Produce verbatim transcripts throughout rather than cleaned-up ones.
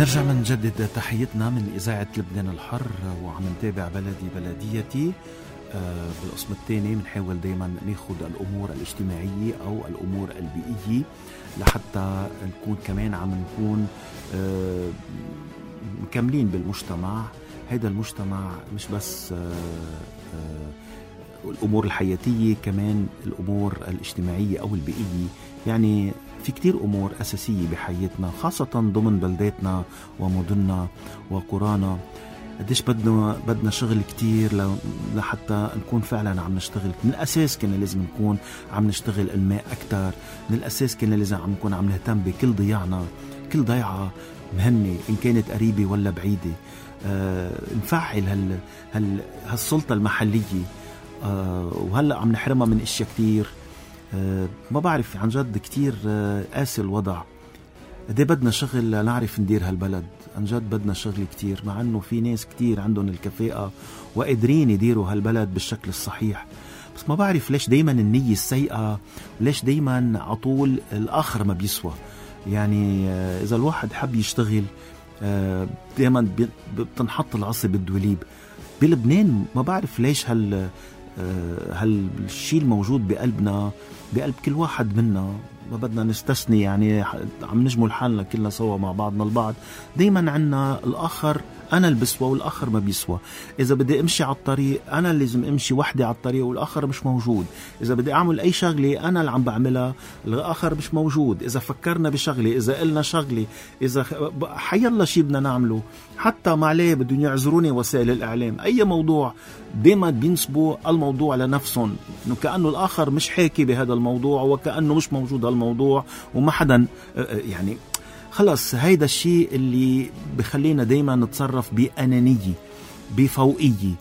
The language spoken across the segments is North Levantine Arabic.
نرجع من نجدد تحيتنا من إذاعة لبنان الحر وعم نتابع بلدي بلديتي. آه بالقسم الثاني بنحاول دايما ناخد الأمور الاجتماعية أو الأمور البيئية لحتى نكون كمان عم نكون آه مكملين بالمجتمع. هذا المجتمع مش بس آه آه الأمور الحياتية، كمان الأمور الاجتماعية أو البيئية. يعني في كتير أمور أساسية بحياتنا، خاصة ضمن بلداتنا ومدننا وقرانا. قديش بدنا بدنا شغل كتير لحتى نكون فعلا عم نشتغل. من الأساس كنا لازم نكون عم نشتغل الماء أكتر، من الأساس كنا لازم عم نكون عم نهتم بكل ضياعنا، كل ضيعة مهمة إن كانت قريبة ولا بعيدة. آه نفعل هال هال هالسلطة المحلية. آه وهلأ عم نحرمها من إشياء كتير. أه ما بعرف عن جد كتير أه قاسي الوضع. قديه بدنا شغل نعرف ندير هالبلد، عن جد بدنا شغل كتير، مع انه في ناس كتير عندهم الكفاءة وقادرين يديروا هالبلد بالشكل الصحيح. بس ما بعرف ليش دايما النية السيئة، ليش دايما عطول الآخر ما بيسوى. يعني أه إذا الواحد حب يشتغل أه دايما بتنحط العصي بالدوليب. بلبنان ما بعرف ليش هال هالشيء الموجود بقلبنا، بقلب كل واحد منا، ما بدنا نستثني. يعني عم نجمل حالنا كلنا سوا مع بعضنا البعض. دايما عنا الآخر أنا اللي بسوى والآخر ما بيسوى. إذا بدي أمشي على الطريق أنا لازم أمشي وحدي على الطريق والآخر مش موجود. إذا بدي أعمل أي شغلة أنا اللي عم بعملها الآخر مش موجود. إذا فكرنا بشغلة، إذا قلنا شغلة، إذا حي الله شي بدنا نعمله، حتى ما عليه بدهم يعذروني وسائل الإعلام، أي موضوع دايما بينسبوا الموضوع لنفسهم، إنه كأنه الآخر مش حاكي بهذا الموضوع وكأنه مش موجود هالموضوع وما حدا. يعني خلص هيدا الشيء اللي بخلينا دايما نتصرف بأنانية، بفوقية.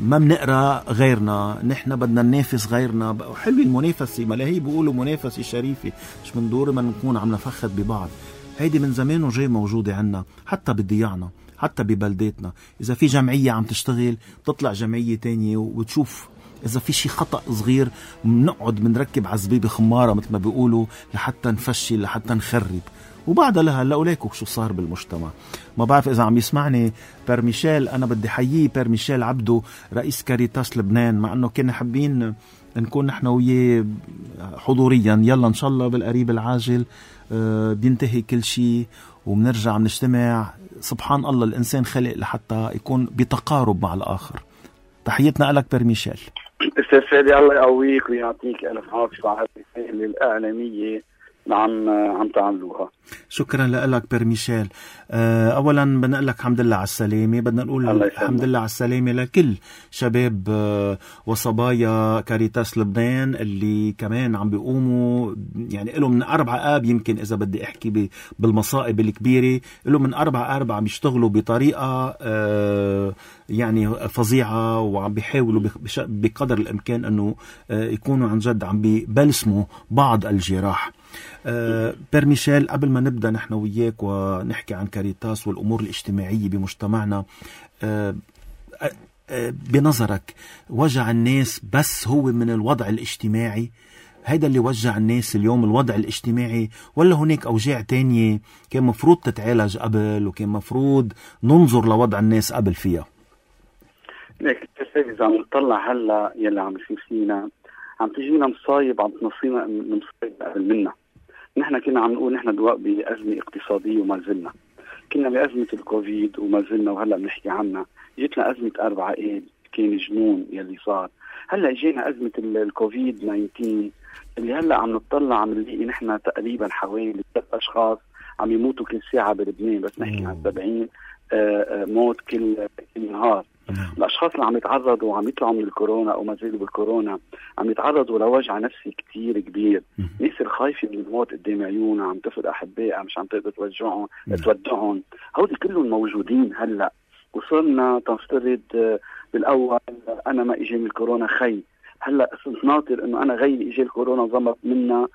ما بنقرأ غيرنا، نحن بدنا ننافس غيرنا. حلو المنافسة، ما هي بيقولوا منافسة شريفة، مش من دور ما نكون عم نفخد ببعض. هيدي من زمان وجاي موجودة عنا، حتى بضياعنا، حتى ببلداتنا. إذا في جمعية عم تشتغل تطلع جمعية تانية وتشوف إذا في شي خطأ صغير، منقعد منركب عزبيبة خمارة مثل ما بيقولوا لحتى نفشل، لحتى نخرب. وبعدها لها لأوليكم شو صار بالمجتمع. ما بعرف إذا عم يسمعني بير ميشيل، أنا بدي حييه بير ميشيل عبدو رئيس كاريتاس لبنان، مع أنه كنا حابين نكون نحن وياه حضوريا. يلا إن شاء الله بالقريب العاجل أه بينتهي كل شيء وبنرجع بنجتمع. سبحان الله الإنسان خلق لحتى يكون بتقارب مع الآخر. تحيتنا لك بير ميشيل. أستاذ فادي الله يقويك ويعطيك ألف عافية على الرسالة الإعلامية عم عم تعملوها. شكرا لك بير ميشيل. اولا بنقول لك الحمد لله على السلامه. بدنا نقول الحمد لله على السلامه لكل شباب وصبايا كاريتاس لبنان اللي كمان عم بيقوموا، يعني لهم من اربع اب، يمكن اذا بدي احكي بالمصائب الكبيره، لهم من اربع اربع عم يشتغلوا بطريقه يعني فظيعه، وعم بيحاولوا بقدر الامكان انه يكونوا عن جد عم ببلسموا بعض الجراح. أه بير ميشيل، قبل ما نبدأ نحن وياك ونحكي عن كاريتاس والأمور الاجتماعية بمجتمعنا، أه أه بنظرك وجع الناس بس هو من الوضع الاجتماعي؟ هيدا اللي وجع الناس اليوم الوضع الاجتماعي، ولا هناك أوجاع تانية كان مفروض تتعالج قبل وكان مفروض ننظر لوضع الناس قبل فيها؟ ليك إذا عم نطلع هلا يلي عم يصير فينا، عم تجينا مصايب عم تنصينا مصايب قبل منا. نحن كنا عم نقول نحن دواء بأزمة اقتصادية وما زلنا، كنا بأزمة الكوفيد وما زلنا، وهلأ بنحكي عنها. جيتنا أزمة أربعة إيد كان جنون يلي صار. هلأ جينا أزمة الكوفيد تسعة عشر اللي هلأ عم نطلع عم نلاقي نحن تقريبا حوالي ثلاث أشخاص عم يموتوا كل ساعة بلبنان، بس نحكي عن سبعين موت كل كل نهار. الأشخاص اللي عم يتعرضوا وعم يطلعوا من الكورونا أو ما زالوا بالكورونا عم يتعرضوا لوجع نفسي كتير كبير. ناس الخايفة من الموت قدام عيونها، عم تفقد أحبائها، مش عم تقدر توجعهم تودعهم. هودي كلهم موجودين هلأ. وصلنا تنفترض بالأول أنا ما إجي من الكورونا خي، هلأ صرت ناطر إنه أنا غيري إجي الكورونا ضمت منا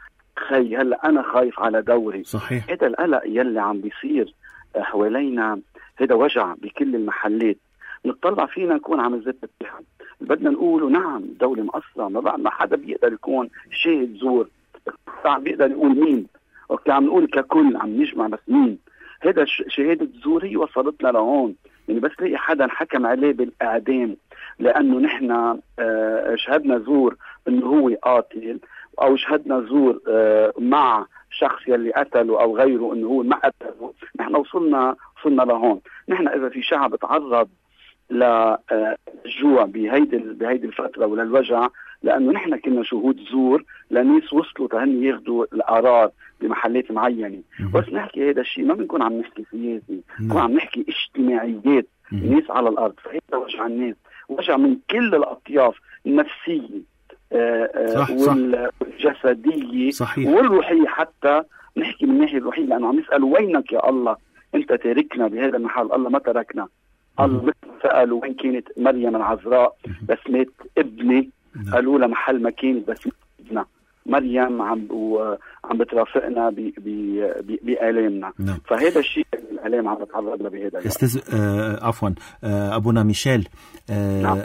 خي، هلأ أنا خايف على دوري. صحيح. هذا القلق يلي عم بيصير حوالينا، هذا وجع بكل المحلات. نطلع فينا نكون عم نزت التهم، بدنا نقول نعم الدولة مقصرة، ما بعد ما حدا بيقدر يكون شاهد زور، عم بيقدر يقول مين، وكي عم نقول ككل عم نجمع بس مين. هذا شهادة زور هي وصلتنا لهون. يعني بس لقي حدا حكم عليه بالإعدام لأنه نحن شهدنا زور إنه هو قاتل، أو شهدنا زور مع شخص يلي قتله أو غيره إنه هو ما قتله، نحن وصلنا وصلنا لهون. نحن إذا في شعب تعرض للجوع بهيدي بهيدي الفترة وللوجع، لأنه نحن كنا شهود زور لناس وصلوا تهني ياخدوا القرار بمحلات معينة. بس نحكي هذا الشيء ما بنكون عم نحكي سياسي، بنكون عم نحكي اجتماعيات الناس على الأرض. فهذا وجع الناس، وجع من كل الأطياف النفسية صح والجسدية صح. والروحية. حتى نحكي من الناحية الروحية لأنه عم يسأل وينك يا الله، أنت تاركنا بهذا المحل. الله ما تركنا. الله مثل سألوا وين كانت مريم العذراء بس مات ابني، قالوا لها محل ما كانت بس ابننا. مريم عم عم بترافقنا بآلامنا. فهذا الشيء الآلام عم بتعرض له بهذا. استاذ آه عفوا آه أبونا ميشيل آه نعم.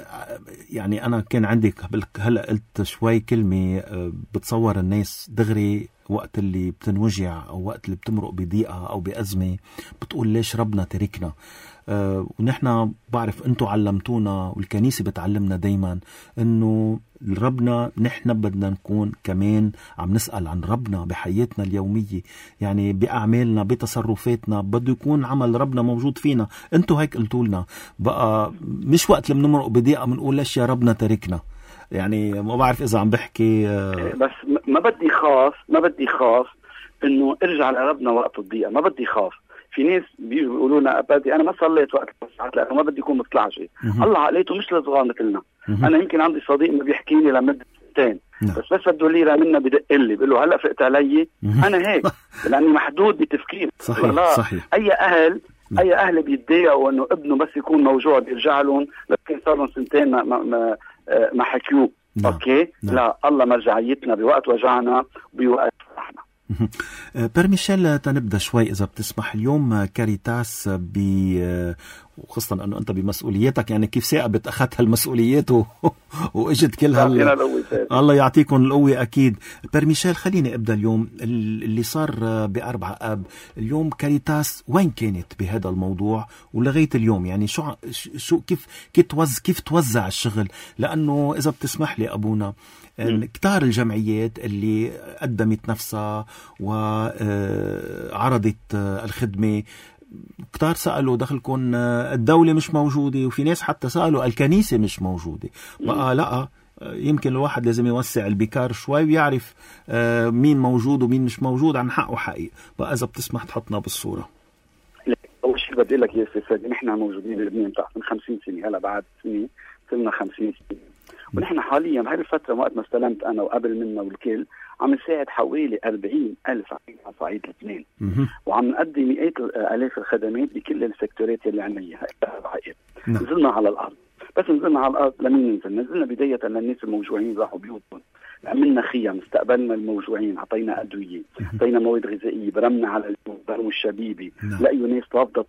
يعني أنا كان عندي هلا قلت شوي كلمة آه بتصور الناس دغري وقت اللي بتنوجع أو وقت اللي بتمرق بضيقة أو بأزمة بتقول ليش ربنا تركنا. أه ونحن بعرف أنتوا علمتونا والكنيسة بتعلمنا دايما أنه ربنا نحن بدنا نكون كمان عم نسأل عن ربنا بحياتنا اليومية، يعني بأعمالنا بتصرفاتنا بده يكون عمل ربنا موجود فينا. أنتوا هيك قلتوا لنا بقى مش وقت اللي بنمرق بضيقة بنقول ليش يا ربنا تركنا. يعني ما بعرف إذا عم بحكي أه بس ما بدي خاف ما بدي خاف إنه ارجع لربنا وقت الضيقة. ما بدي خاف. في ناس بيجوا بيقولوا لنا أبدي أنا ما صليت وقت الساعات لأنه ما بدي يكون مطلع شيء. الله عقليته مش لصغار مثلنا. أنا يمكن عندي صديق ما بيحكي لي لمدة سنتين بس بس بده ليرة منا بدق لي بيقول له هلأ فقت علي. أنا هيك لأني محدود بتفكير. صحيح صحيح. أي أهل أي أهل بيتضايقوا إنه ابنه بس يكون موجود بيرجع لهم لكن صار لهم سنتين ما ما ما, ما حكيوه. نعم. أوكي نعم. لا الله مرجعيتنا بوقت وجعنا بوقت فرحنا. بير ميشيل تنبدأ شوي إذا بتسمح. اليوم كاريتاس ب وخاصة أنه أنت بمسؤولياتك يعني كيف ثاقبت أخذت هالمسؤوليات و... وإجت كل هال الله يعطيكم القوة أكيد. بير ميشيل خليني أبدأ اليوم اللي صار بأربعة آب. اليوم كاريتاس وين كانت بهذا الموضوع ولغاية اليوم؟ يعني شو شو كيف كيف توزع كيف توزع الشغل؟ لأنه إذا بتسمح لي أبونا كتار الجمعيات اللي قدمت نفسها وعرضت الخدمة كتار سألوا دخلكم الدولة مش موجودة، وفي ناس حتى سألوا الكنيسة مش موجودة. بقى لا يمكن الواحد لازم يوسع البكار شوي ويعرف مين موجود ومين مش موجود عن حقه حقيقي. بقى إذا بتسمح تحطنا بالصورة. أول شيء بدي لك يا سيدي نحن موجودين بلبنان من خمسين سنة. هلا بعد سنة صرنا خمسين سنة ونحن حاليا بهذه الفترة وقت ما استلمت أنا وقبل منا والكل عم نساعد حوالي أربعين ألف على صعيد لبنان وعم نقدم مئات آلاف الخدمات بكل السيكتورات اللي عنا إياها. نزلنا على الأرض بس نزلنا على الأرض لمين ننزل؟ نزلنا بداية للناس الموجوعين راحوا بيوتهم، عملنا خيام، استقبلنا الموجوعين، عطينا أدوية، عطينا مواد غذائية، برمنا على البرم الشبيبي. لقيوا ناس رافضة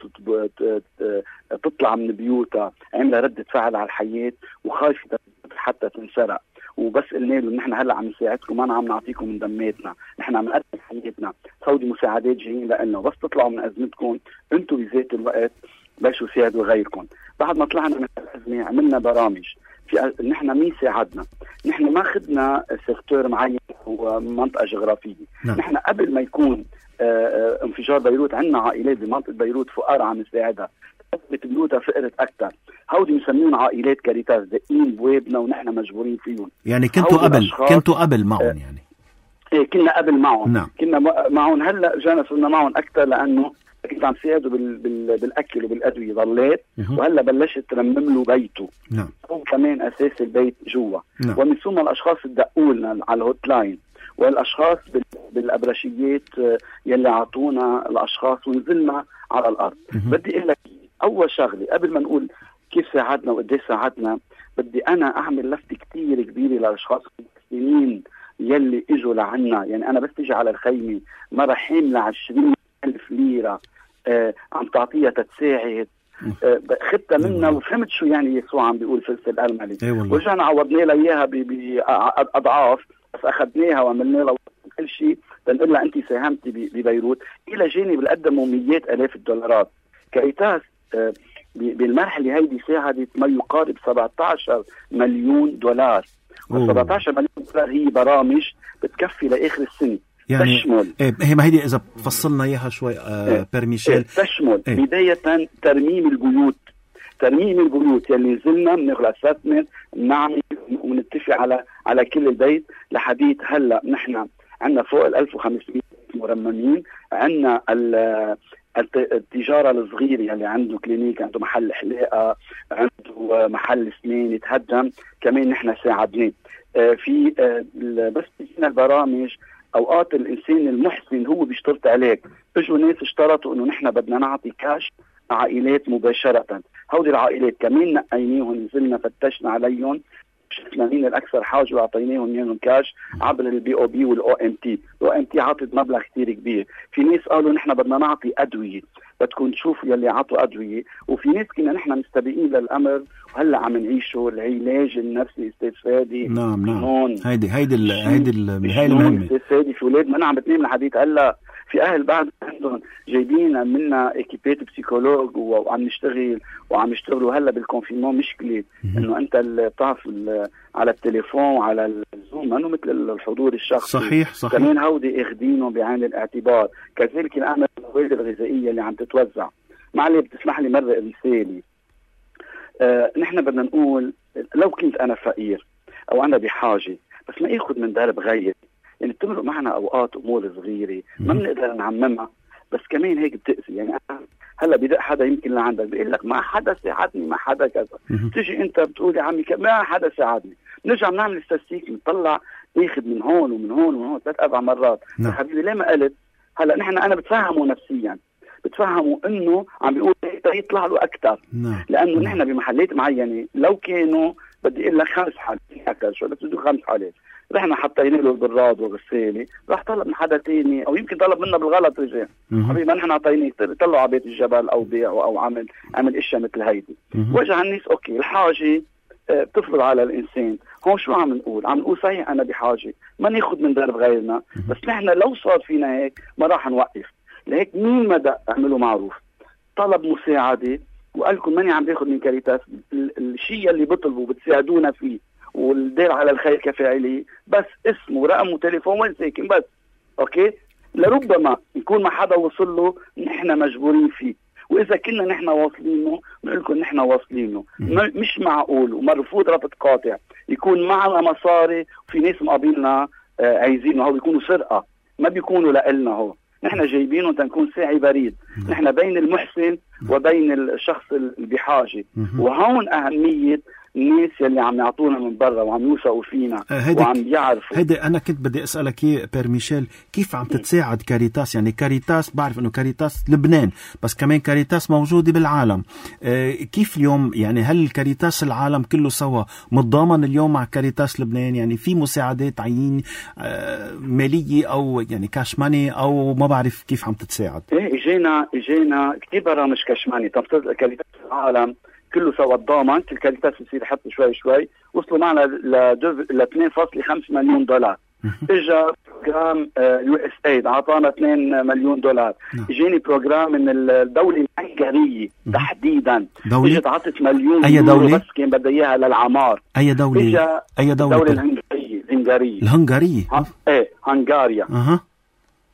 تطلع من بيوتها، عملها ردة فعل على الحياة وخايفة حتى تنسرق. وبس قلنا له نحن هلا عم نساعدكم، ما عم نعطيكم من دماتنا، نحن عم نقدم حياتنا، سودي مساعدات جايين لنا، بس تطلعوا من ازمتكم انتم بذات الوقت بلشوا ساعدوا غيركم. بعد ما طلعنا من الازمه عملنا برامج في نحن مين ساعدنا. نحن ما اخذنا سيكتور معين ومنطقه جغرافيه. نعم. نحن قبل ما يكون اه انفجار بيروت عندنا عائلات بمنطقه بيروت فقراء عم نساعدها، ثبت بيوتها فقرت اكثر. هودي مسميون عائلات كاريتاس دقين بوابنا ونحن مجبورين فيهم. يعني كنتوا قبل كنتوا قبل معهم يعني؟ ايه كنا قبل معهم. نعم. كنا معهم. هلا جانا صرنا معهم اكثر لانه كنت عم ساعده بال... بال... بالاكل وبالادويه ضليت. وهلا بلشت ترمم له بيته. نعم. هو كمان اساس البيت جوا. نعم. ومن ثم الاشخاص تدقوا لنا على الهوت لاين والاشخاص بال... بالابرشيات يلي اعطونا الاشخاص ونزلنا على الارض. بدي اقول لك اول شغله قبل ما نقول كيف ساعدنا وقديش ساعدنا، بدي انا اعمل لفته كتير كبيره للاشخاص المسلمين يلي اجوا لعنا. يعني انا بس تيجي على الخيمه مره حامله عشرين ألف ليره آه عم تعطيها تتساعد. آه خدتها منا وفهمت شو يعني يسوع عم بيقول فلس الأرملة. ورجعنا عوضنا لها اياها باضعاف، بس اخذناها وعملنا لها كل شيء بنقول لها انت ساهمتي ببيروت، الى جانب قدموا مئات الاف الدولارات. كاريتاس آه بالمرحله هيدي ساعدت ما يقارب سبعة عشر مليون دولار. سبعة عشر مليون دولار هي برامج بتكفي لاخر السنه، يعني تشمل إيه هي ما هيدي اذا فصلنا اياها شوي آه إيه بير ميشيل إيه تشمل إيه بدايه ترميم البيوت، ترميم البيوت يلي نزلنا بناخذ اسسمنت نعمل ونتفق على على كل البيت. لحديث هلا نحن عندنا فوق ال ألف وخمسمئة مرممين. عندنا التجاره الصغيره يلي يعني عنده كلينيك، عنده محل حلاقه، عنده محل اسنان يتهدم، كمان نحن ساعدناه آه في آه بس فينا البرامج. اوقات الانسان المحسن هو بيشترط عليك، اجوا ناس اشترطوا انه نحن بدنا نعطي كاش عائلات مباشره. هودي العائلات كمان نقيناهم، نزلنا فتشنا عليهم، شفنا مين الاكثر حاجه واعطيناهم اياهم كاش عبر البي او بي والاو ام تي. الاو ام تي عطت مبلغ كثير كبير. في ناس قالوا نحن بدنا نعطي ادويه، بدكم تشوفوا يلي عطوا ادويه. وفي ناس كنا نحن مستبقين للامر وهلا عم نعيشه، العلاج النفسي استاذ فادي. نعم نعم هيدي هيدي هيدي هاي المهمه استاذ فادي. في اولاد ما عم بتنام الحديث هلا، في اهل بعد عندهم جايبين منا اكيبات بسيكولوج وعم نشتغل وعم يشتغلوا هلا بالكونفينمون. مشكله انه انت بتعرف على التليفون وعلى الزوم انه مثل الحضور الشخصي. صحيح صحيح. كمان هودي اخذينهم بعين الاعتبار. كذلك الامر المواد الغذائيه اللي عم تتوزع. معلي بتسمح لي مره رساله. آه نحن بدنا نقول لو كنت انا فقير او انا بحاجه بس ما اخذ من درب غيري. يعني بتمرق معنا اوقات امور صغيره ما بنقدر نعممها بس كمان هيك بتأذي. يعني أنا هلا بدق حدا يمكن لعندك بيقول لك ما حدا ساعدني، ما حدا كذا، تيجي انت بتقول يا عمي ما حدا ساعدني. نرجع بنعمل استاتستيك نطلع ياخذ من هون ومن هون ومن هون ثلاث اربع مرات. يا حبيبي ليه ما قلت؟ هلا نحن انا بتفهمه نفسيا، بتفهموا انه عم بيقول يطلع له اكثر، لانه نحن بمحلات معينه لو كانوا بدي اقول لك خمس حالات اكثر شو بس بده خمس حالات رحنا حطينا له البراد وغسالة، راح طلب من حدا تاني او يمكن طلب منا بالغلط رجع حبيبي ما نحن عطيناه طلعوا على بيت الجبل او بيعوا او عمل عمل اشياء مثل هيدي. وجه الناس اوكي الحاجه بتفرض على الانسان. هون شو عم نقول؟ عم نقول صحيح انا بحاجه ما ناخذ من درب غيرنا، بس نحن لو صار فينا هيك ما راح نوقف. لهيك مين ما دق اعملوا معروف، طلب مساعده وقال لكم ماني عم باخذ من كاريتاس، الشيء اللي بطلبوا بتساعدونا فيه والدير على الخير كفاعله، بس اسمه ورقم وتليفون وين ساكن بس اوكي. لربما يكون ما حدا وصل له نحن مجبورين فيه، واذا كنا نحن واصلينه بنقول لكم نحن واصلينه. مش معقول ومرفوض ربط قاطع يكون معنا مصاري وفي ناس مقابلنا آه عايزينه، هو بيكونوا سرقه ما بيكونوا لنا. هو نحن جايبينه تنكون ساعي بريد، نحن بين المحسن وبين الشخص اللي بحاجه. وهون اهميه الناس اللي عم يعطونا من برا وعم يوثقوا فينا وعم يعرفوا. هيدا انا كنت بدي اسالك ايه بير ميشيل، كيف عم تتساعد كاريتاس؟ يعني كاريتاس بعرف انه كاريتاس لبنان بس كمان كاريتاس موجوده بالعالم. اه كيف اليوم يعني هل كاريتاس العالم كله سوا متضامن اليوم مع كاريتاس لبنان؟ يعني في مساعدات عين اه ماليه او يعني كاش ماني او ما بعرف كيف عم تتساعد؟ ايه اجينا اجينا كثير برامج كاش ماني. طب كاريتاس العالم كله سوا تضامن، كل كاريتاس بصير يحط شوي شوي، وصلوا معنا ل اثنين فاصلة خمسة مليون دولار. اجا بروجرام يو اس ايد اعطانا اثنين مليون دولار. اجاني بروجرام من الدوله الهنغاريه تحديدا اجت عطت مليون اي دوله بس كان بدها اياها للعمار. اي دوله؟ اي دوله؟ الدوله الهنغاريه الهنغاريه الهنغاريه ايه هنغاريا. اها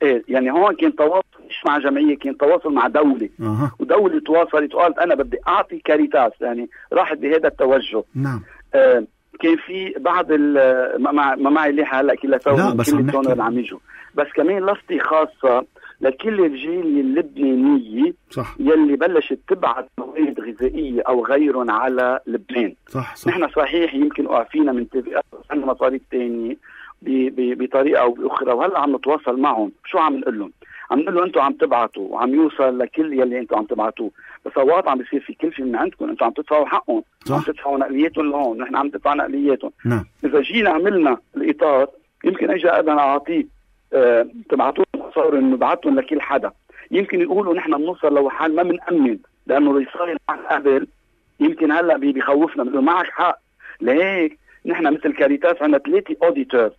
ايه يعني هون كان تواصل مش مع جمعيه، كان تواصل مع دوله. أه. ودوله تواصلت وقالت انا بدي اعطي كاريتاس، يعني راحت بهذا التوجه. نعم. آه كان في بعض ما مع ما معي ليحه هلا كلها سوا كل التون اللي عم يجوا، بس كمان لفتي خاصه لكل الجاليه اللبنانيه صح. يلي بلشت تبعث مواد غذائيه او غيرهم على لبنان. صح صح. نحن صحيح يمكن وقفينا من تبعات عندنا مصاريف ثانيه بطريقه او باخرى، وهلا عم نتواصل معهم. شو عم نقول لهم؟ عم نقول له انتم عم تبعتوا وعم يوصل لكل يلي انتم عم تبعتوه، بس اوقات عم بيصير في كلفه من عندكم، انتم عم تدفعوا حقهم، عم تدفعوا نقلياتهم لهون، نحن عم ندفع نقلياتهم. نعم. اذا جينا عملنا الاطار يمكن اجى بدنا نعطيه اه تبعتوا صار انه نبعتهم لكل حدا، يمكن يقولوا نحن بنوصل لو حال ما بنأمن لانه اللي صار قبل يمكن هلا بيخوفنا، بنقول معك حق. لهيك نحن مثل كاريتاس عندنا ثلاثه اوديتور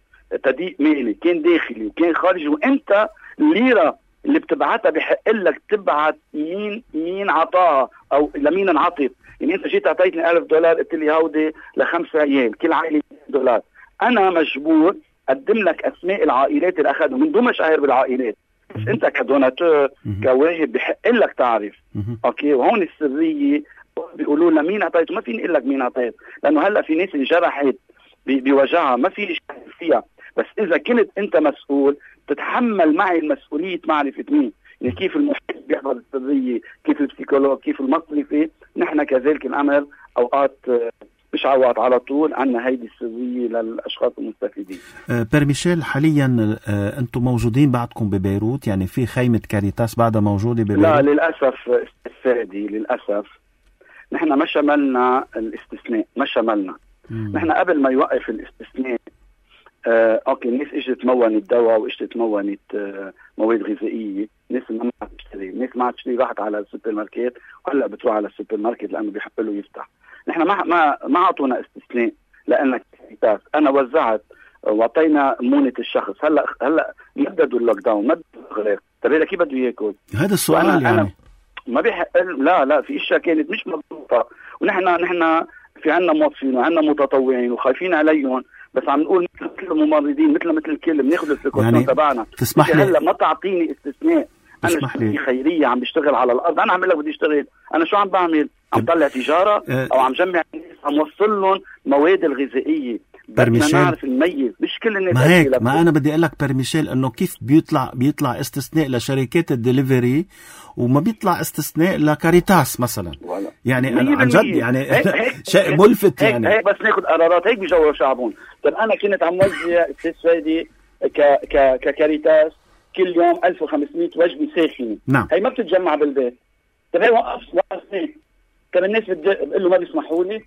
تضييق مالي، كان داخلي وكان خارجي، وانت الليره اللي بتبعتها بحق لك تبعت مين مين عطاها او لمين انعطت. يعني انت جيت اعطيتني ألف دولار قلت لي هودي لخمس عيال كل عائله دولار، انا مجبور اقدم لك اسماء العائلات اللي اخذوا من دون مشاهير بالعائلات، بس انت كدوناتور كواجب بحق لك تعرف. اوكي، وهون السريه بيقولوا لنا مين اعطيت، ما فيني اقول لك مين اعطيت، لانه هلا في ناس انجرحت بوجعها ما في شيء فيها، بس اذا كنت انت مسؤول تتحمل معي المسؤوليه معرفه مين، يعني كيف المحيط بيحفظ السريه، كيف البسيكولوج، كيف المصرفي، نحن كذلك الامر اوقات مش عوض على طول عنا هيدي السريه للاشخاص المستفيدين. أه بير ميشيل، حاليا أه انتم موجودين بعدكم ببيروت، يعني في خيمه كاريتاس بعدها موجوده ببيروت؟ لا للاسف استفادي، للاسف نحن ما شملنا الاستثناء، ما شملنا. نحن قبل ما يوقف الاستثناء آه، اوكي الناس اجت تمونت دواء واجت تمونت آه، مواد غذائيه، الناس ما عم تشتري، الناس ما عم تشتري، راحت على السوبر ماركت وهلا بتروح على السوبر ماركت لانه بيحق له يفتح. نحن ما ما ما اعطونا استثناء لانك كاريتاس، انا وزعت واعطينا مونه الشخص. هلا هلا مددوا اللوك داون، مددوا الاغلاق، طيب هذا كيف بده ياكل؟ هذا السؤال يعني أنا ما بيحق. لا لا في اشياء كانت مش مضبوطه، ونحن نحن في عنا موظفين وعنا متطوعين وخايفين عليهم، بس عم نقول مثل الممرضين مثل مثل الكل بناخذ البريكوشن يعني تبعنا. تسمح لي هلا ما تعطيني استثناء، انا شركه خيريه عم بشتغل على الارض، انا عم لك بدي اشتغل، انا شو عم بعمل؟ عم طلع تجاره او عم جمع الناس، عم وصل لهم مواد الغذائيه، بدنا نعرف نميز، مش كل الناس. ما هيك ما انا بدي اقول لك بير ميشيل انه كيف بيطلع بيطلع استثناء لشركات الدليفري وما بيطلع استثناء لكاريتاس مثلا. يعني انا عن جد يعني شيء ملفت يعني. هيك بس ناخذ قرارات هيك بيجوا شعبون. طيب انا كنت عم وزع استثوادي ك ك ككاريتاس كل يوم ألف وخمسمية وجبه ساخنه. نعم. هي ما بتتجمع بالبيت. طيب هي وقف وقفني. طيب الناس بتقول له ما بيسمحوا لي،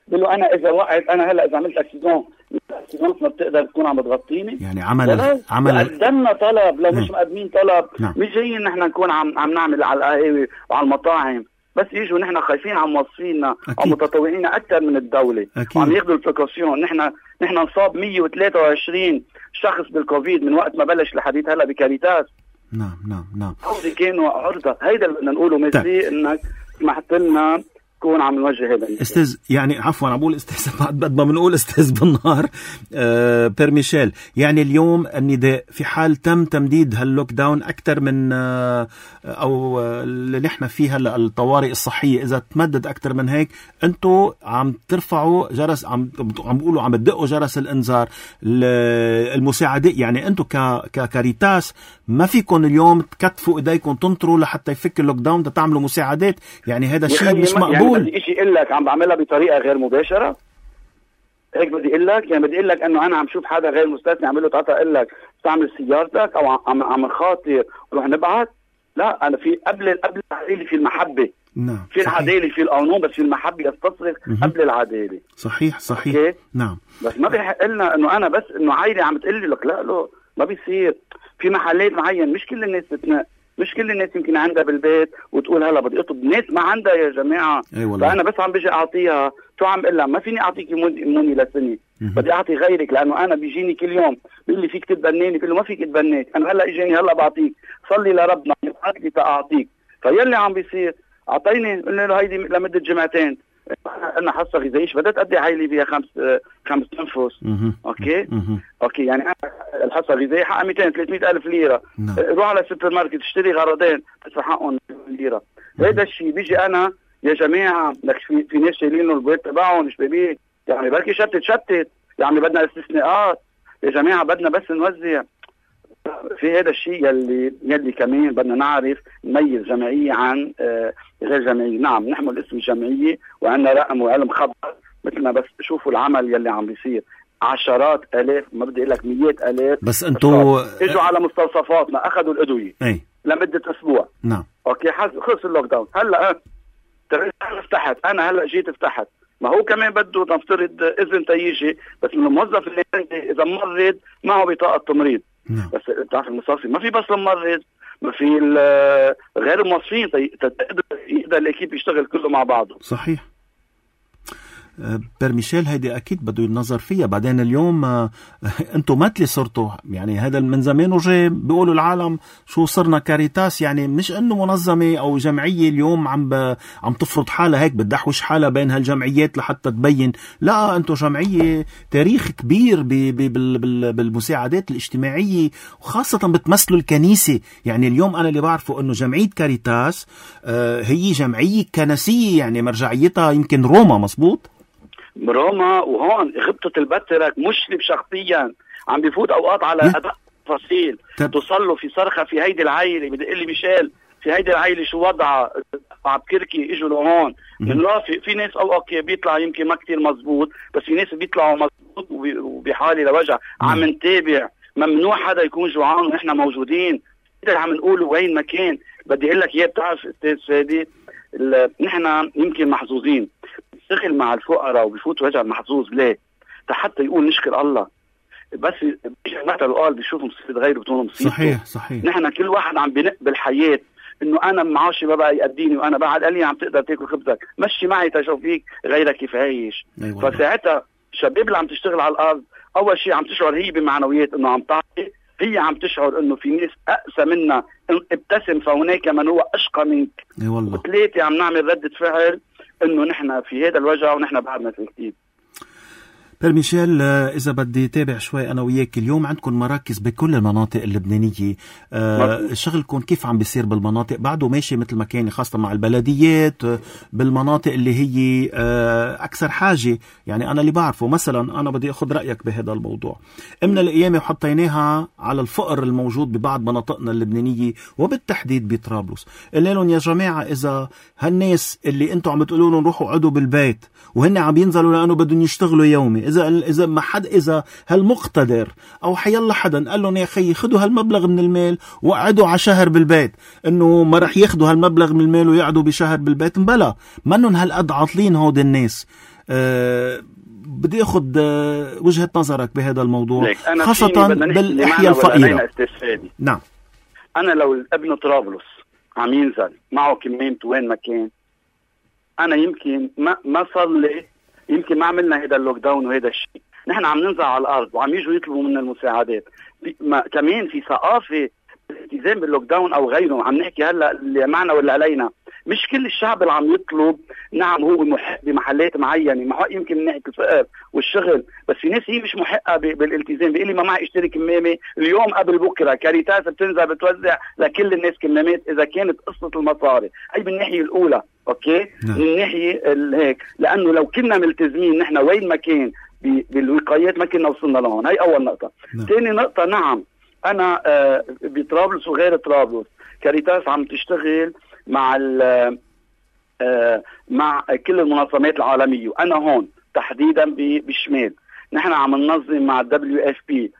بقول له انا اذا وقعت انا هلا اذا عملت اكسيدون الاكسيدون ما بتقدر تكون عم تغطيني. يعني عمل عمل قدمنا طلب، لو مش م. مقدمين طلب نعم. مش جايين نحن نكون عم عم نعمل على القهاوي وعلى المطاعم، بس يجوا نحن خايفين عم موظفينا او متطوعين اكثر من الدوله وعم ياخذوا البريكوشن. نحن نحن نصاب مية وثلاثة وعشرين شخص بالكوفيد من وقت ما بلش لحديت هلا بكاريتاس. نعم نعم نعم هودي كانوا عرضه، هيدا اللي بدنا نقوله. ميرسي انك سمحت لنا كون عم نوجه هذا استاذ، يعني عفوا عم بقول استاذ بعد ما بنقول استاذ بالنهار. آه بير ميشيل، يعني اليوم النداء في حال تم تمديد هاللوك داون اكثر من آه او اللي نحن فيه هلا الطوارئ الصحيه، اذا تمدد اكثر من هيك انتم عم ترفعوا جرس، عم عم بيقولوا عم تدقوا جرس الانذار المساعده. يعني انتم ككاريتاس ما فيكم اليوم تكتفوا ايديكم تنطروا لحتى يفك اللوك داون تعملوا مساعدات، يعني هذا الشيء مش مقبول. يعني بدي شيء اقول لك عم بعملها بطريقه غير مباشره، هيك بدي اقول لك. يعني بدي اقول لك انه انا عم شوف حدا غير مستثني عم له تعطى اقول لك استعمل سيارتك او عم عم خاطر روح نبعث. لا، انا في قبل قبل العداله في المحبه. نعم. في العداله في القانون، بس في المحبه يستصرخ قبل العداله. صحيح صحيح. أوكي؟ نعم. بس ما بيحق لنا انه انا بس انه عائله عم تقول لي لك لا لا ما بيصير. في محلات معين مش كل الناس بتنق، مش كل الناس يمكن عندها بالبيت وتقول هلا بدي اطلب، ناس ما عندها يا جماعه. أي فانا بس عم بيجي اعطيها، شو عم بقول لها ما فيني اعطيك موني لسنه، بدي اعطي غيرك، لانه انا بيجيني كل يوم بيقول لي فيك تتبناني، بقول له ما فيك تتبناك، انا هلا اجاني هلا بعطيك، صلي لربنا يبعث لي تاعطيك. فيلي عم بيصير اعطيني، قلنا له هيدي لمده جمعتين، انا حصه غذائيه بدها تقضي عائلي فيها خمس خمس انفس. اوكي مه. اوكي يعني انا الحصه الغذائيه حقها مئتين ثلاثمئة الف ليره. نعم. روح على السوبر ماركت اشتري غرضين تدفع حقهم ليره. هذا الشيء بيجي انا يا جماعه لك في, في ناس شايلين البيت تبعهم شبابيك، يعني بركي شتت شتت، يعني بدنا استثناءات يا جماعه، بدنا بس نوزع في هذا الشيء يلي يلي كمان بدنا نعرف نميز جمعيه عن آه غير جمعيه. نعم نحمل اسم الجمعيه وعندنا رقم وعلم خبر، مثل ما بس شوفوا العمل يلي عم بيصير، عشرات الاف ما بدي اقول لك مئات الاف. بس انتوا اجوا على مستوصفاتنا اخذوا الادويه اي لمده اسبوع. نعم اوكي خلص اللوك داون. هلا ترى فتحت، انا هلا جيت فتحت، ما هو كمان بده نفترض اذن تيجي، بس من الموظف اللي عندي اذا مرض معه بطاقه تمريض. نعم. بس بتعرف المصافي ما في بس الممرض، ما في غير الموظفين تقدر يقدر الاكيب يشتغل كله مع بعضه. صحيح. بير ميشيل هيدي أكيد بده النظر فيها. بعدين اليوم أنتوا مثلي صرتوا، يعني هذا من زمان وجاي بيقولوا العالم شو صرنا كاريتاس، يعني مش إنه منظمة أو جمعية اليوم عم ب... عم تفرض حالها هيك بتدحوش حالها بين هالجمعيات لحتى تبين. لا، أنتوا جمعية تاريخ كبير ب... ب... بال... بال... بالمساعدات الاجتماعية، وخاصة بتمثلوا الكنيسة. يعني اليوم أنا اللي بعرفه إنه جمعية كاريتاس آه هي جمعية كنسية، يعني مرجعيتها يمكن روما. مزبوط؟ روما. وهون غبطة البترك مشرف شخصيا عم بيفوت اوقات على اداء تفاصيل توصل له في صرخة في هيدي العائلة. بدي اقول لي ميشيل في هيدي العائلة شو وضعها، عم كركي اجوا لهون من لا في, في ناس او اوكي بيطلع يمكن ما كتير مزبوط، بس في ناس بيطلعوا مزبوط وبحالة لوجع. عم نتابع، ممنوع حدا يكون جوعان ونحن موجودين. هذا عم نقوله وين ما كان. بدي اقول لك اياه، بتعرف استاذ فادي، نحن يمكن محظوظين بنشتغل مع الفقراء وبفوت وجع المحظوظ. ليه؟ حتى يقول نشكر الله. بس مثل قال بيشوف مصيبة غيره بتقول مصيبته. صحيح صحيح. نحن كل واحد عم بنق بالحياة انه انا معاشي ما بقى يقديني وانا بعد قال لي عم تقدر تاكل خبزك، مشي معي تشوف فيك غيرك كيف عايش. أيوة. فساعتها الشباب اللي عم تشتغل على الارض اول شيء عم تشعر هي بمعنويات انه عم تعطي، هي عم تشعر انه في ناس اقسى منا، ابتسم فهناك من هو اشقى منك. اي والله. وثلاثه عم نعمل ردة فعل انه نحن في هذا الوجع ونحن بعدنا في كتير. بير ميشيل، إذا بدي تابع شوي أنا وياك، اليوم عندكم مراكز بكل المناطق اللبنانية. أه شغلكم كيف عم بيصير بالمناطق؟ بعده ماشي مثل ما كان، خاصة مع البلديات بالمناطق اللي هي أه أكثر حاجة؟ يعني أنا اللي بعرفه مثلا، أنا بدي أخذ رأيك بهذا الموضوع. من الأيام وحطيناها على الفقر الموجود ببعض مناطقنا اللبنانية وبالتحديد بطرابلس. قلنا لهم يا جماعة، إذا هالناس اللي أنتوا عم بتقولوا لهم روحوا قعدوا بالبيت وهن عم ينزلوا لأنه بدهم يشتغلوا يومي، إذا إذا ما حد إذا هالمقتدر أو حيالله حدا قال لهم يا أخي خدوا هالمبلغ من المال وقعدوا على شهر بالبيت، إنه ما رح ياخدوا هالمبلغ من المال ويقعدوا بشهر بالبيت، مبلا منن هالقد عاطلين هود الناس. أه بدي أخذ أه وجهة نظرك بهذا الموضوع، خاصة بالأحياء الفقيرة. نعم. أنا لو ابن طرابلس عم ينزل معه كميمته وين ما كان، أنا يمكن ما ما صار لي، يمكن ما عملنا هذا اللوك داون وهذا الشيء. نحن عم ننزل على الارض وعم يجوا يطلبوا منا المساعدات. ما كمان في ثقافه الالتزام باللوك داون او غيره. عم نحكي هلا اللي معنا واللي علينا، مش كل الشعب اللي عم يطلب. نعم هو محق بمحلات معينه، محق يمكن من ناحيه الفقر والشغل، بس في ناس هي مش محقه بالالتزام. بيقول لي ما معي اشتري كمامه اليوم قبل بكره. كاريتاس بتنزل بتوزع لكل الناس كمامات اذا كانت قصه المصاري. هي بالناحيه الاولى، اوكي. نعم. من الناحيه هيك، لانه لو كنا ملتزمين نحن وين ما كان بالوقايات ما كنا وصلنا لهون. هي اول نقطه. ثاني نقطه، نعم انا آه بطرابلس وغير طرابلس كاريتاس عم تشتغل مع آه مع كل المنظمات العالميه، وانا هون تحديدا بالشمال نحن عم ننظم مع الدبليو اف بي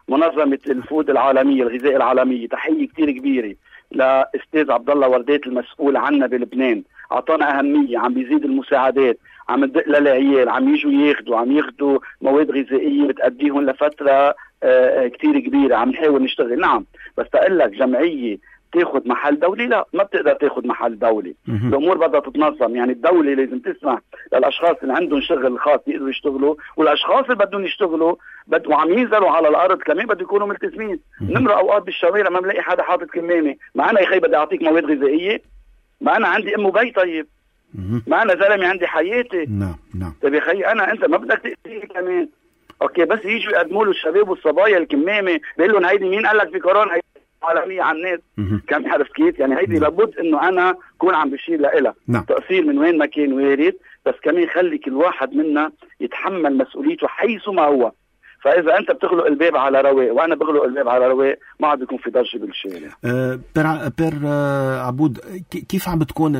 منظمه الفود العالميه الغذاء العالميه. تحيه كتير كبيره لاستاذ عبد الله وردات المسؤول عنا بلبنان، اعطانا اهميه، عم بيزيد المساعدات، عم ندق للعيال، عم يجوا ياخذوا عم ياخذوا مواد غذائيه بتأديهم لفتره آه كتير كبيره. عم نحاول نشتغل. نعم، بس تقول لك جمعيه تاخذ محل دولي، لا ما بتقدر تاخذ محل دولي. الامور بدها تتنظم. يعني الدوله لازم تسمح للاشخاص اللي عندهم شغل خاص يقدروا يشتغلوا، والاشخاص اللي بدهم يشتغلوا بد وعم ينزلوا على الارض كمان بده يكونوا ملتزمين. نمر اوقات بالشوارع ما بلاقي حدا حاطط كمامه، ما انا يا اخي بدي اعطيك مواد غذائيه، ما انا عندي ام وبي. طيب ما انا زلمه عندي حياتي. نعم نعم. طيب يا اخي انا انت ما بدك تاذيني كمان. اوكي، بس يجوا يقدموا له الشباب والصبايا الكمامه، بيقول لهم هيدي مين قال لك في كورونا عالمية على الناس. كم عرفت كيف؟ يعني هيدي لابد انه انا كون عم بشير لها. نعم. تقصير من وين ما كان وارد، بس كمان خلي كل واحد منا يتحمل مسؤوليته حيث ما هو. فاذا انت بتغلق الباب على رواق وانا بغلق الباب على رواق ما عاد بيكون في ضجه بالشارع. أه بير بير أه عبود، كيف عم بتكون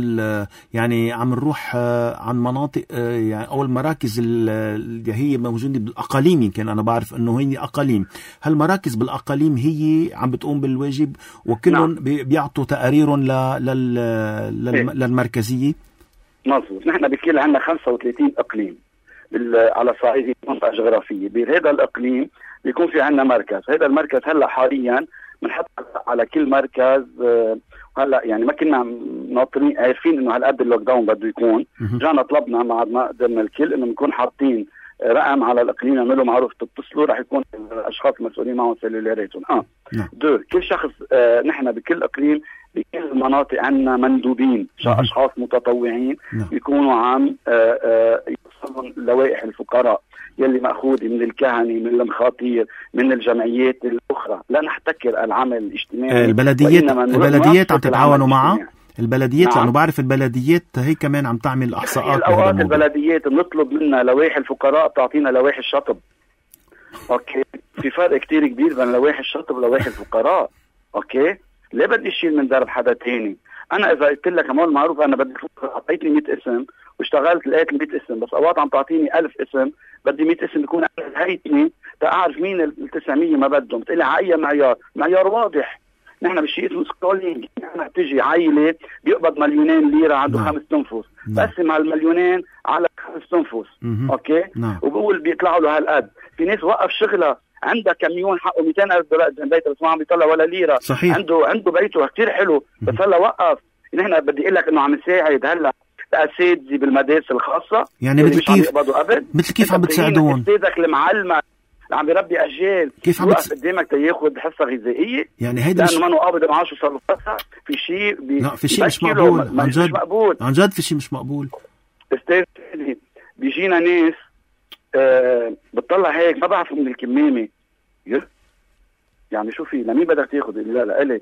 يعني عم نروح أه عن مناطق أه يعني اول مراكز اللي هي موجوده بالاقاليم، يمكن انا بعرف انه هي اقاليم، هالمراكز بالاقاليم هي عم بتقوم بالواجب وكلهم نعم. بيعطوا تقاريرهم للمركزيه. مظبوط. نحن بكل عندنا خمسة وثلاثين اقليم على صعيد منطقة جغرافية. بهذا الإقليم بيكون في عنا مركز. هذا المركز هلا حاليا بنحط على كل مركز هلا يعني ما كنا ناطرين عارفين انه هالقد اللوك داون بده يكون. جانا طلبنا مع ما قدرنا الكل انه نكون حاطين رقم على الاقليم يعملوا معروف تتصلوا رح يكون الاشخاص المسؤولين معهم سيلولاراتهم. اه نعم. دو كل شخص آه نحن بكل اقليم بكل المناطق عندنا مندوبين اشخاص متطوعين نعم. بيكونوا عم آه آه يوصلون لوائح الفقراء يلي مأخوذ من الكهنة من المخاطير من الجمعيات الأخرى. لا نحتكر العمل الاجتماعي. البلديات البلديات عم تتعاونوا معها البلديات نعم. لأنه بعرف البلديات هي كمان عم تعمل إحصاءات. الأوقات البلديات بنطلب منها لوائح الفقراء بتعطينا لوائح الشطب. أوكي في فرق كتير كبير بين لوائح الشطب ولوائح الفقراء. أوكي ليه بدي أشيل من درب حدا تاني؟ أنا إذا قلت لك عمول معروف أنا بدي أعطيتني مئة اسم واشتغلت لقيت مئة اسم بس أوقات عم تعطيني ألف اسم بدي مئة اسم يكون هيتني تعرف مين التسعمية ما بدهم. بتقلي على أي معيار؟ معيار واضح. نحن بشيء اسمه سكولينج. نحن بتجي عائلة بيقبض مليونين ليرة عنده نعم. خمس تنفس نعم. بقسم على المليونين على خمس تنفس. أوكي نعم. وبقول بيطلعوا له هالقد. في ناس وقف شغلة عندها كميون حقه مئتين ألف دولار بيت بس ما عم بيطلع ولا ليرة. صحيح. عنده عنده بيته كتير حلو بس هلا وقف. نحن بدي اقول لك انه عم نساعد هلا الاساتذه بالمدارس الخاصه يعني مثل كيف مثل كيف عم بتساعدون استاذك المعلم اللي عم بيربي اجيال كيف عم بت... قدامك تياخذ حصه غذائيه يعني هيدا لانه ما قابض معاشه صار له فتره في شيء بي... لا في شيء مش مقبول عن جد. مش مقبول عن جد في شيء مش مقبول. استاذ بيجينا ناس آه بتطلع هيك ما بعرفوا من الكمامه يعني شو في لمين بدك تاخذ؟ لا لا الي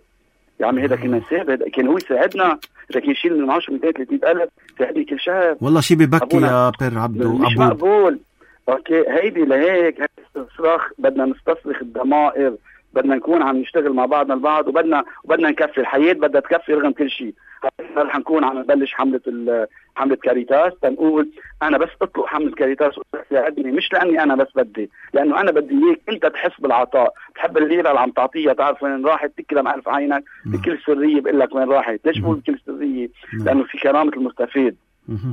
يا عمي هذا كنا نساعد هذا كان هو يساعدنا اذا كان يشيل من معاشه مئتين ثلاثمئة ألف ساعدني كل شهر والله شيء ببكي يا بير عبدو. مش أبو. مقبول. اوكي هيدي لهيك استصراخ بدنا نستصرخ الضمائر بدنا نكون عم نشتغل مع بعضنا البعض وبدنا وبدنا نكفي الحياه بدها تكفي رغم كل شيء. رح نكون عم نبلش حمله حمله كاريتاس تنقول انا بس اطلق حمله كاريتاس وتساعدني مش لاني انا بس بدي لانه انا بدي اياك انت تحس بالعطاء تحب الليره اللي عم تعطيها تعرف وين راحت تكرم الف عينك بكل سريه بقول لك وين راحت. ليش بقول بكل سريه؟ لانه في كرامه المستفيد.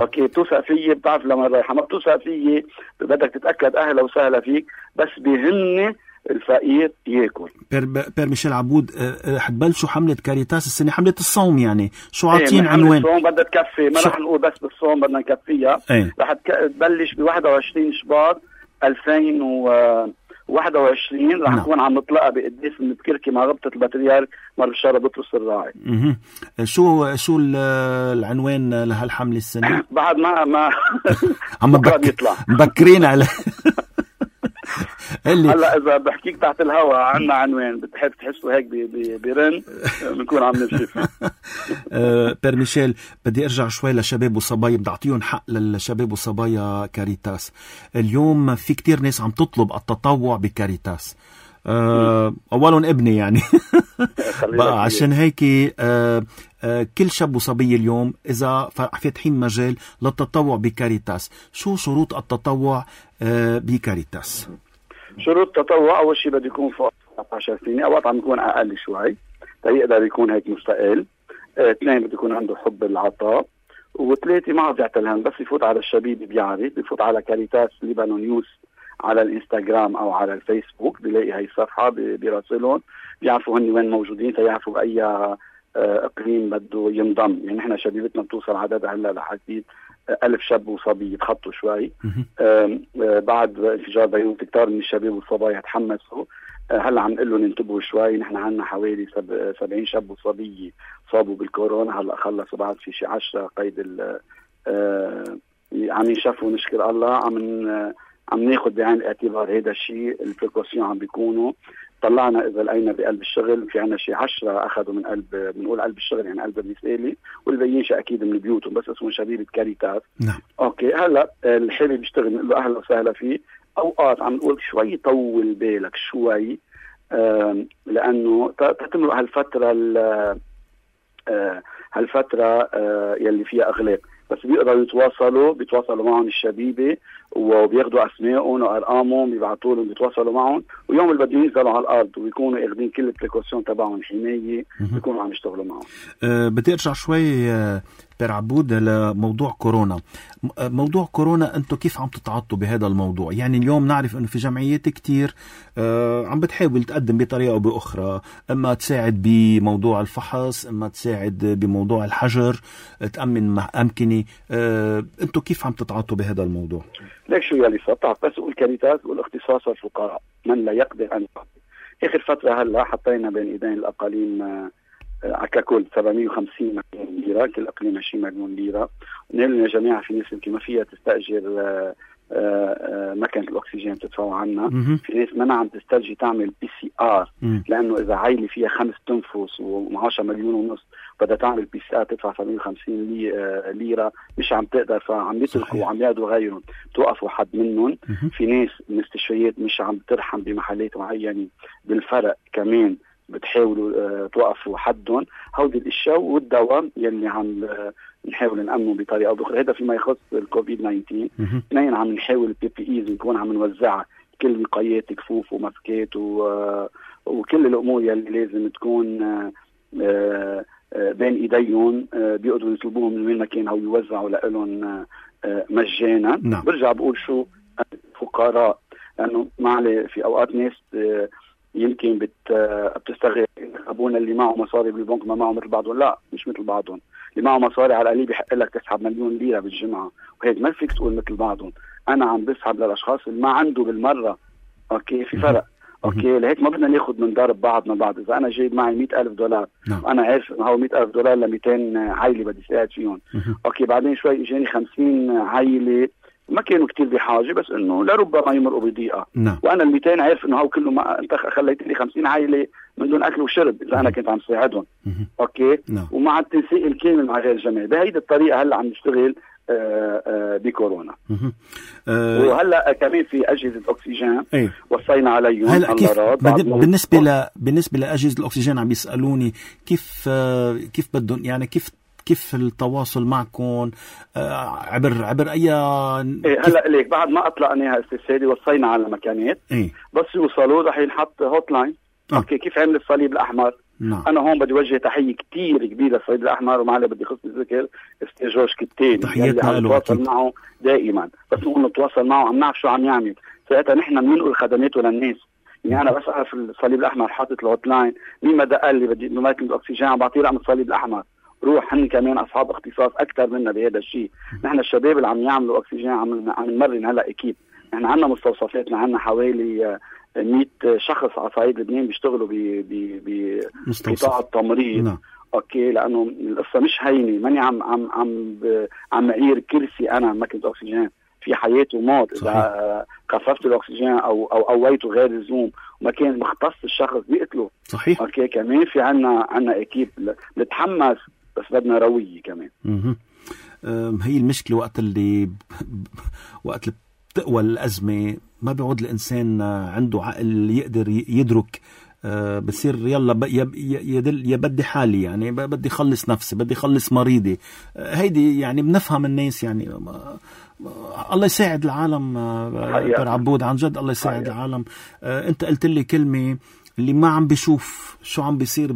اوكي بتوثق فيي بتعرف لما رايحه ما بتوثق فيي بدك تتاكد اهلا وسهلا فيك بس بيهمني الفقير ياكل. بير, بير ميشيل عبود حتبلشوا حملة كاريتاس السنة حملة الصوم يعني شو عاطين ايه عنوان؟ الصوم بدها تكفي ما رح نقول بس بالصوم بدنا نكفيها. ايه. رح تبلش ب واحد وعشرين شباط ألفين وواحد وعشرين رح نكون عم نطلقها بقديس من بكركي مع ربطة البطريرك مر بشارة بطرس الراعي. اها شو شو العنوان لهالحملة السنة؟ بعد ما ما عم بك... مبكرين على هلا اذا بحكيك تحت الهواء عنا عنوان بتحب تحسوا هيك بيرن بنكون عم نمشي. بير ميشيل بدي ارجع شوي لشباب وصبايا بدي اعطيهم حق للشباب وصبايا كاريتاس. اليوم في كتير ناس عم تطلب التطوع بكاريتاس. أه أولهم ابني يعني بقى عشان هيك أه أه كل شاب وصبية اليوم إذا فاتحين مجال للتطوع بكاريتاس شو شروط التطوع أه بكاريتاس؟ شروط التطوع أول شيء بده يكون فوق أربعة عشر سنة أوقات عم يكون أقل شوي يقدر يكون هيك مستقل. اثنين بده يكون عنده حب العطاء وثلاثة ما بيعتلهم بس يفوت على الشبيب بيعرف بيفوت على كاريتاس ليبانون نيوز على الانستغرام او على الفيسبوك بيلاقي هاي الصفحه بيراسلهم بيعرفوا هن وين موجودين تيعرفوا باي اقليم بده ينضم. يعني نحن شبيبتنا بتوصل عددها هلا لحديد ألف شاب وصبي يتخطوا شوي. بعد انفجار بيروت كتار من الشباب والصبايا تحمسوا هلا عم نقول لهم انتبهوا شوي نحن عندنا حوالي سبعين شاب وصبيه صابوا بالكورونا هلا خلصوا بعد في شي عشرة قيد ال عم ينشفوا نشكر الله عم عم ناخذ بعين الاعتبار هذا الشيء البريكوسيون عم بيكونوا طلعنا اذا لقينا بقلب الشغل في عنا شيء عشرة اخذوا من قلب بنقول قلب الشغل يعني قلب الرساله والباقيين شيء اكيد من بيوتهم بس اسمه شبيبه كاريتاس. نعم. اوكي هلا الحابب يشتغل نقول له اهلا وسهلا فيه. اوقات عم نقول شوي طول بالك شوي لانه تتمرق هالفتره هالفتره يلي فيها اغلاق بس بيقدروا يتواصلوا بيتواصلوا معهم الشبيبه وبياخذوا اسمائهم وارقامهم بيبعثوا لهم بيتواصلوا معهم ويوم اللي بدهم ينزلوا على الارض ويكونوا اخذين كل البريكوسيون تبعهم حمايه بيكونوا عم يشتغلوا معهم. أه بدي ارجع شوي أه بير عبود لموضوع كورونا. موضوع كورونا أنتم كيف عم تتعاطوا بهذا الموضوع؟ يعني اليوم نعرف أنه في جمعيات كتير آه عم بتحاول تقدم بطريقة أو بأخرى، إما تساعد بموضوع الفحص، إما تساعد بموضوع الحجر، تأمن أمكنة. آه أنتم كيف عم تتعاطوا بهذا الموضوع؟ ليك شو يلي صار بس أقول كاريتاس والاختصاص والفقراء من لا يقدر أن يقدر. آخر فترة هلا حطينا بين إيدين الأقاليم آه ككل سبعمية وخمسين مليون ليرة، كل أقليم عشرين مليون ليرة. ونقول يا جماعة في ناس يمكن ما فيها تستأجر مكنة الأكسجين بتدفعوا عنها، في ناس ما عم تسترجي تعمل بي سي آر لأنه إذا عائلة فيها خمس تنفس ومعاشها مليون ونص بدها تعمل بي سي آر تدفع سبعمية وخمسين ليرة، مش عم تقدر، فعم يتركوا وعم ياخذوا غيرهم توقفوا حد منهم. في ناس مستشفيات مش عم ترحم بمحلات معينة بالفرق كمان بتحاولوا أه توقفوا حدهم. هودي الاشياء والدواء يلي عم أه نحاول نأمنه بطريقه او باخرى. هذا فيما يخص الكوفيد تسعة عشر. اثنين عم نحاول البي بي ايز نكون عم نوزعها، كل وقايات كفوف وماسكات أه وكل الامور يلي لازم تكون أه أه بين ايديهم أه بيقدروا يطلبوهم من وين ما كان او يوزعوا لهم أه مجانا. نعم. برجع بقول شو فقراء، لانه معلي في اوقات ناس أه يمكن بت بتستغل ابونا اللي معه مصاري بالبنك ما معه مثل بعضهم. لا، مش مثل بعضهم. اللي معه مصاري على القليل بيحق لك تسحب مليون ليره بالجمعه، وهيك ما فيك تقول مثل بعضهم. انا عم بسحب للاشخاص اللي ما عنده بالمره. اوكي، في فرق. اوكي، لهيك ما بدنا ناخذ من ضرب بعضنا بعض. اذا انا جايب معي مئة ألف دولار وانا عارف انه هو مئة ألف دولار ل مئتين عائله بدي ساعد فيهم، اوكي، بعدين شوي اجاني خمسين عائله ما كانوا كتير بحاجة بس انه لربما يمرقوا بضيقة. نعم. وانا الميتين عارف انه هو كله ما انت خليت لي خمسين عائلة من دون اكل وشرب اذا انا كنت عم ساعدهم. اوكي. نعم. ومع التنسيق الكامل مع غير الجميع. بهيدي الطريقة هلا عم نشتغل آآ آآ بكورونا. أه وهلا كمان في اجهزة اكسجين ايه؟ وصينا عليهم. هلا كيف بالنسبة ل بالنسبة لاجهزة الاكسجين عم بيسألوني كيف كيف بدهم، يعني كيف كيف التواصل معكم عبر عبر اي إيه؟ هلا ليك بعد ما اطلقناها استشهادي وصينا على مكانات. إيه؟ بس يوصلوا رح ينحط هوت لاين. آه. اوكي، كيف عمل الصليب الاحمر. نعم. انا هون بدي وجه تحيه كتير كبيره للصليب الاحمر، ومعلي بدي خص الذكر استاذ جورج كتين تحياتنا له نتواصل معه دائما. بس نقول نتواصل معه عم نعرف شو عم يعمل، ساعتها نحن بننقل خدماته للناس. يعني انا بس اعرف الصليب الاحمر حاطط الهوت لاين، مين ما دق لي بدي ماكينه الاكسجين عم بعطيه رقم الصليب الاحمر، روح. هن كمان اصحاب اختصاص اكثر منا بهذا الشيء. نحن الشباب اللي عم يعملوا اكسجين عم عم نمرن هلا اكيد. نحن عندنا مستوصفاتنا، عندنا حوالي مئة شخص على صعيد لبنان بيشتغلوا ب بقطاع التمريض. نعم. اوكي، لانه القصه مش هينه. ماني عم عم عم عم معير كرسي انا ماكينه اكسجين، في حياه وموت. اذا خففت الاكسجين او او قويته غير اللزوم وما كان مختص الشخص بيقتله. صحيح. اوكي، كمان في عنا عنا اكيد نتحمس بس بدنا رويه كمان. اها هي المشكله وقت اللي وقت اللي بتقوى الازمه ما بيعود الانسان عنده عقل يقدر يدرك. أه بصير يلا يدل يا بدي حالي، يعني بدي خلص نفسي، بدي خلص مريضي. أه هيدي يعني بنفهم الناس. يعني ما الله يساعد العالم. أه عبود عن جد الله يساعد حقيقة. العالم. أه انت قلت لي كلمه اللي ما عم بيشوف شو عم بيصير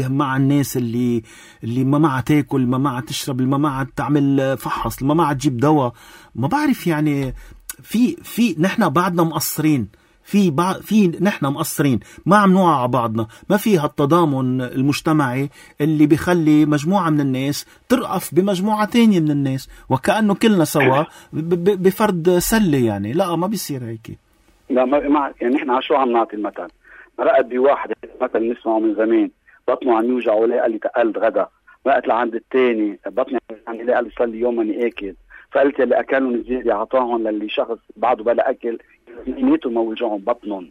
مع الناس اللي اللي ما معها تاكل، ما معها تشرب، ما معها تعمل فحص، ما معها تجيب دواء. ما بعرف يعني في في نحن بعدنا مقصرين في بعض في نحن مقصرين، ما عم نوعى على بعضنا. ما في هالتضامن المجتمعي اللي بيخلي مجموعة من الناس ترأف بمجموعة تانية من الناس وكأنه كلنا سوا بفرد سلة. يعني لا، ما بيصير هيك. لا ما يعني نحن على شو عم نعطي المثل. رأت بواحد مثل نسمعه من زمان بطنه عم يوجع ولا قال لي تقلت غدا. رأت لعند الثاني بطني عم يلاقي قال لي صار لي يوم ماني اكل. فقلت اللي اكلهم زياده اعطاهم للي شخص بعده بلا اكل نيته ما وجعهم بطنهم.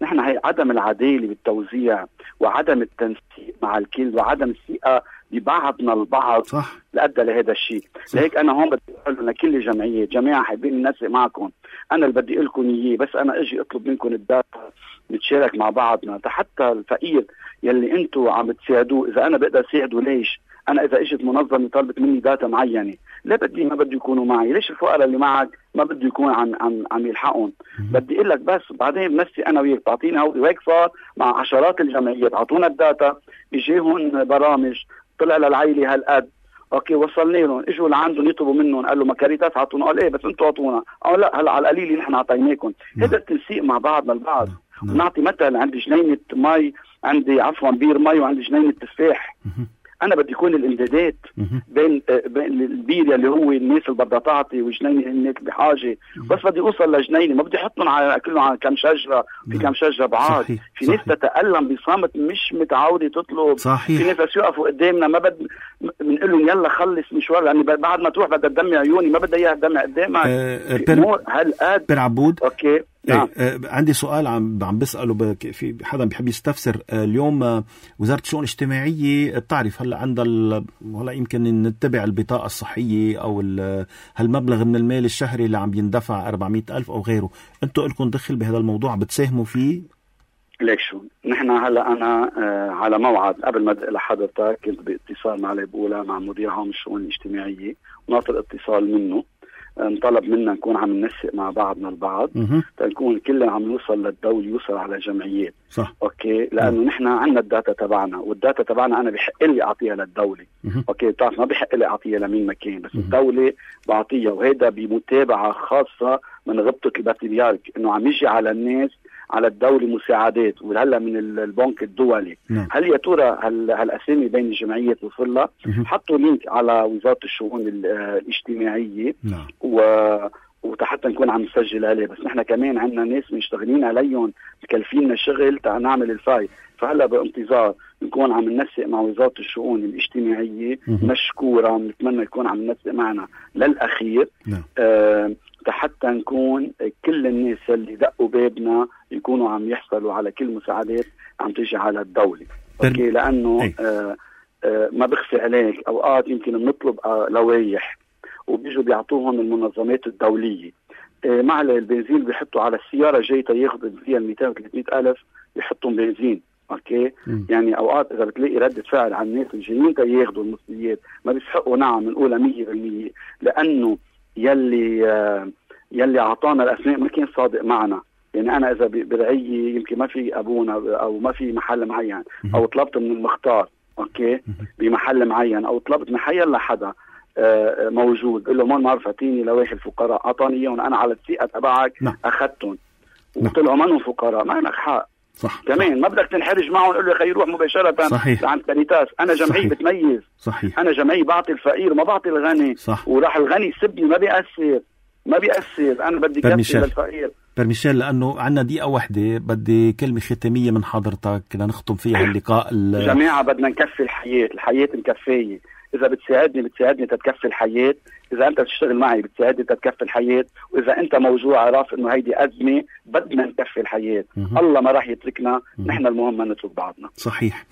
نحن هي عدم العداله بالتوزيع وعدم التنسيق مع الكل وعدم الثقه ببعضنا البعض صح لأدى لهذا الشيء. لهيك انا هون بدي اقول لكل الجمعيه جماعه حابين ننسق معكم. انا اللي بدي اقول لكم اياه بس انا اجي اطلب منكم الداتا نتشارك مع بعضنا حتى الفقير يلي انتم عم تساعدوه. اذا انا بقدر ساعده ليش؟ انا اذا اجت منظمه طلبت مني داتا معينه لا بدي ما بدي يكونوا معي. ليش الفقراء اللي معك ما بدي يكون عم عم عم يلحقهم؟ بدي اقول لك بس بعدين بنفسي انا وياك تعطيني هودي. وهيك صار مع عشرات الجمعيات اعطونا الداتا اجيهم برامج طلع للعائله هالقد. اوكي وصلنا لهم، اجوا لعندهم يطلبوا منهم، قال له ما كاريتاس عطونا، قال ايه بس انتوا عطونا، او لا هلا على القليل نحن عطيناكم. هذا التنسيق مع بعضنا البعض. نعم. نعطي مثل، عندي جنينه مي، عندي عفوا بير مي وعندي جنينه تفاح. انا بدي يكون الامدادات بين بين البير اللي هو الناس اللي بدها تعطي وجنينه الناس بحاجه، بس بدي اوصل لجنينه، ما بدي احطهم على كلهم على كم شجره، في كم شجره بعاد. صحيح. في ناس تتألم بصامت مش متعوده تطلب. صحيح. في ناس يقفوا قدامنا ما بد بنقول لهم يلا خلص مشوار، لاني بعد ما تروح بدها تدمع عيوني، ما بدها اياها تدمع قدامك. أه بر... هالقد بر عبود. اوكي نعم. ايه عندي سؤال عم عم بسأله بك، في حدا بيحب يستفسر. اليوم وزارة الشؤون الاجتماعية بتعرف هلا عندها هلا يمكن نتبع البطاقة الصحية او هالمبلغ من المال الشهري اللي عم يندفع أربعمئة ألف او غيره، انتوا لكم دخل بهذا الموضوع؟ بتساهموا فيه؟ ليك شو نحن هلا انا آه على موعد قبل ما ادق لحضرتك كنت باتصال مع البولة مع مدير عام الشؤون الاجتماعية، وناطر اتصال منه. انطلب منا نكون عم ننسق مع بعضنا البعض تنكون كلنا عم نوصل للدولة، يوصل على جمعيات. صح. اوكي لانه نحن عندنا الداتا تبعنا، والداتا تبعنا انا بحق لي اعطيها للدولة. مه. اوكي بتعرف ما بحق لي اعطيها لمين مكان، بس مه. الدولة بعطيها، وهيدا بمتابعة خاصة من غبطة البطريرك انه عم يجي على الناس على الدولة مساعدات، وهلا من البنك الدولي. نعم. هل يا ترى هالاسامي بين الجمعيات وصل لها؟ حطوا لينك على وزارة الشؤون الاجتماعية. نعم. و وحتى نكون عم نسجل عليه، بس نحن كمان عندنا ناس مشتغلين عليهم مكلفيننا شغل تا نعمل الفاي، فهلا بانتظار نكون عم ننسق مع وزارة الشؤون الاجتماعية. مشكورة، بنتمنى يكون عم ننسق معنا للأخير. نعم. آه حتى نكون كل الناس اللي دقوا بابنا يكونوا عم يحصلوا على كل مساعدات عم تيجي على الدولة. اوكي لانه آه آه ما بخفي عليك، اوقات يمكن بنطلب آه لوائح وبيجوا بيعطوهم المنظمات الدولية. آه مع البنزين بيحطوا على السيارة جاية ياخذوا فيها مئتين وثلاثمئة ألف بيحطوا بنزين. اوكي م. يعني اوقات اذا بتلاقي ردة فعل عن الناس الجايين ياخذوا المصريات ما بيسحقوا. نعم نقولها مية بالمية، لانه يلي آه يلي اعطانا الاسماء ما كان صادق معنا. يعني انا اذا برعيه يمكن ما في ابونا او ما في محل معين، او طلبت من المختار اوكي بمحل معين، او طلبت من حي لحدا آه موجود، بقول له ما بعرف اعطيني لوائح الفقراء، اعطاني اياهم انا على الثقه تبعك اخذتهم وطلعوا منهم فقراء، ما لك حق. صح. كمان ما بدك تنحرج معهم، قول له يا اخي روح مباشره. صحيح. عند كاريتاس انا جمعيه بتميز. صحيح. انا جمعيه بعطي الفقير ما بعطي الغني. صح. وراح الغني يسبني ما بيأثر ما بيأثر انا بدي كفي للفقير. برميشيل لانه عندنا دقيقه واحده، بدي كلمه ختاميه من حضرتك لنختم فيها اللقاء. جماعه بدنا نكفي الحياه، الحياه مكفيه. اذا بتساعدني بتساعدني تتكفي الحياه، اذا انت بتشتغل معي بتساعدني تتكفي الحياه، واذا انت موجوع عارف انه هيدي ازمه بدنا نكفي الحياه. م- الله ما راح يتركنا. م- نحن المهم ما نترك بعضنا. صحيح.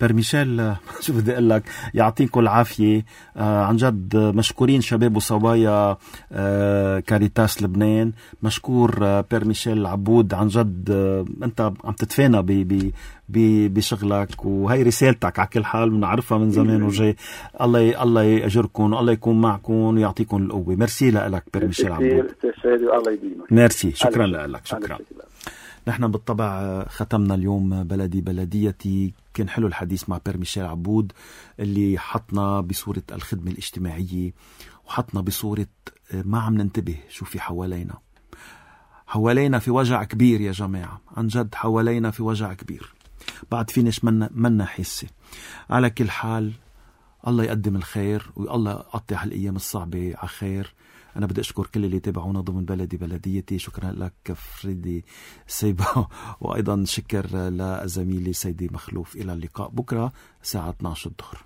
برميشيل شو بدي اقول لك، يعطيكم العافيه. آه عن جد مشكورين شباب وصبايا آه كاريتاس لبنان. مشكور آه برميشيل عبود، عن جد آه انت عم تتفانى ب ب بشغلك، وهي رسالتك على كل حال بنعرفها من زمان وجاي. الله الله يأجركم والله يكون معكم ويعطيكم القوة. ميرسي لك برميشيل عبود. الله يديمك. ميرسي، شكرا لك. شكرا. نحن بالطبع ختمنا اليوم بلدي بلديتي. كان حلو الحديث مع برميشيل عبود اللي حطنا بصورة الخدمة الاجتماعية، وحطنا بصورة ما عم ننتبه شو في حوالينا. حوالينا في وجع كبير يا جماعة، عن جد حوالينا في وجع كبير، بعد في ناس منا, منا حسة. على كل حال الله يقدم الخير، والله يقطع هالأيام الصعبة على خير. أنا بدي أشكر كل اللي تابعونا ضمن بلدي بلديتي. شكرا لك فريدي سيبا، وأيضا شكر لزميلي سيدي مخلوف. إلى اللقاء بكرة الساعة اثنعش الظهر.